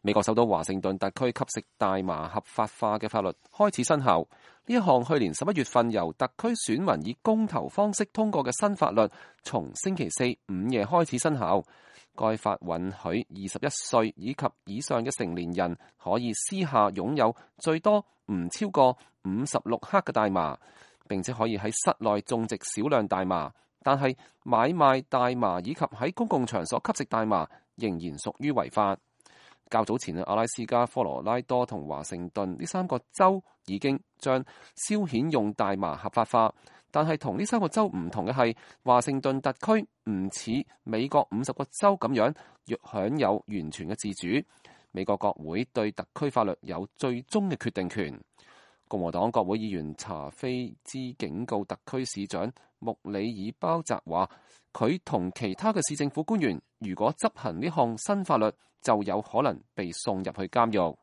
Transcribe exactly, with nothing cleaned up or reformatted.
美國首都華盛頓特區吸食大麻合法化嘅法律開始生效。呢一項去年十一月份由特區選民以公投方式通過嘅新法律，從星期四午夜開始生效。該法允許二十一歲以及以上嘅成年人可以私下擁有最多唔超過五十六克嘅大麻，並且可以喺室內種植少量大麻。但係買賣大麻以及喺公共場所吸食大麻仍然屬於違法。較早前，阿拉斯加、科羅拉多同華盛頓呢三個州已經將消遣用大麻合法化，但係同呢三個州唔同嘅係，華盛頓特區唔似美國五十個州咁樣若享有完全嘅自主。美國國會對特區法律有最終嘅決定權。共和黨國會議員查菲茲警告特區市長穆里爾鮑澤話，佢同其他嘅市政府官員如果執行呢項新法律，就有可能被送入去監獄。